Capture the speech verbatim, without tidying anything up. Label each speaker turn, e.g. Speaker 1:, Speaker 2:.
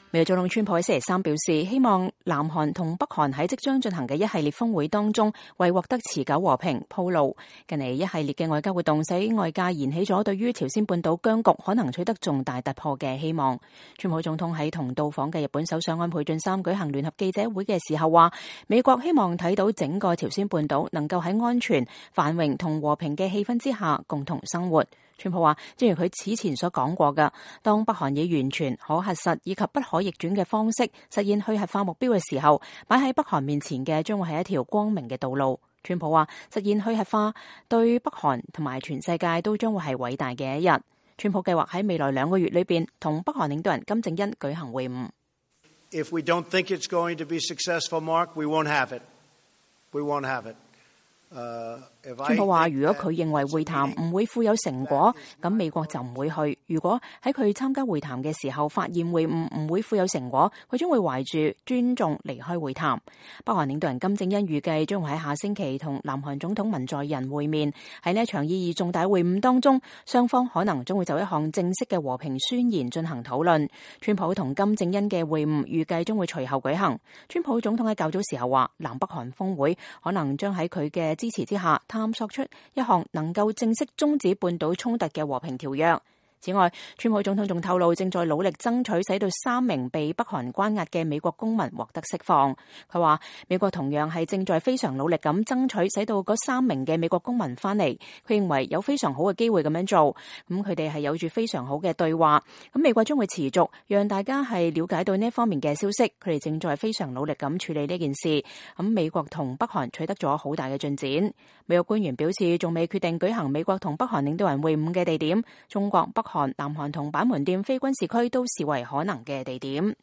Speaker 1: 美國總統川普喺星期三表示，希望南韓同北韓喺即將進行嘅一系列峰會當中，為獲得持久和平鋪路。近嚟一系列嘅外交活動，使外界燃起咗對於朝鮮半島僵局可能取得重大突破嘅希望。川普總統喺同到訪嘅日本首相安倍晉三舉行聯合記者會嘅時候話，美國希望睇到整個朝鮮半島能夠喺安全、繁榮同和平嘅氣氛之下共同生活。川普話，正如佢此前所講過嘅，當北韓以完全可核實以及不可逆轉嘅方式實現去核化目標嘅時候，擺喺北韓面前嘅將會係一條光明嘅道路。川普話，實現去核化對北韓同埋全世界都將會係偉大嘅一日。川普計劃喺未來兩個月裏邊同北韓領導人金正恩舉行會晤。
Speaker 2: If we don't think it's going to be successful, Mark, we won't have it. We won't have it. 川普話，如果佢認為會談唔會富有成果，咁美國就唔會去。如果喺佢參加會談嘅時候發現會晤唔會富有成果，佢將會懷住尊重離開會談。北韓領導人金正恩預計將會喺下星期同南韓總統文在寅會面。喺呢一場意義重大會晤當中，雙方可能將會就一項正式嘅和平宣言進行討論。川普同金正恩嘅會晤預計將會隨後舉行。川普總統喺較早時候話，南北韓峰會可能將喺佢嘅支持之下探索出一項能夠正式終止半島衝突嘅和平條約。此外，川普總統仲透露正在努力爭取使到三名被北韓關押嘅美國公民獲得釋放。佢話美國同樣係正在非常努力咁爭取使到嗰三名嘅美國公民翻嚟。佢認為有非常好嘅機會咁樣做，咁佢哋係有住非常好嘅對話。咁美國將會持續讓大家係了解到呢一方面嘅消息。佢哋正在非常努力咁處理呢件事。咁美國同北韓取得咗好大嘅進展。美國官員表示仲未決定舉行美國同北韓領導人會晤嘅地點。中國、北韓、南韓同板門店非軍事區都視為可能嘅地點。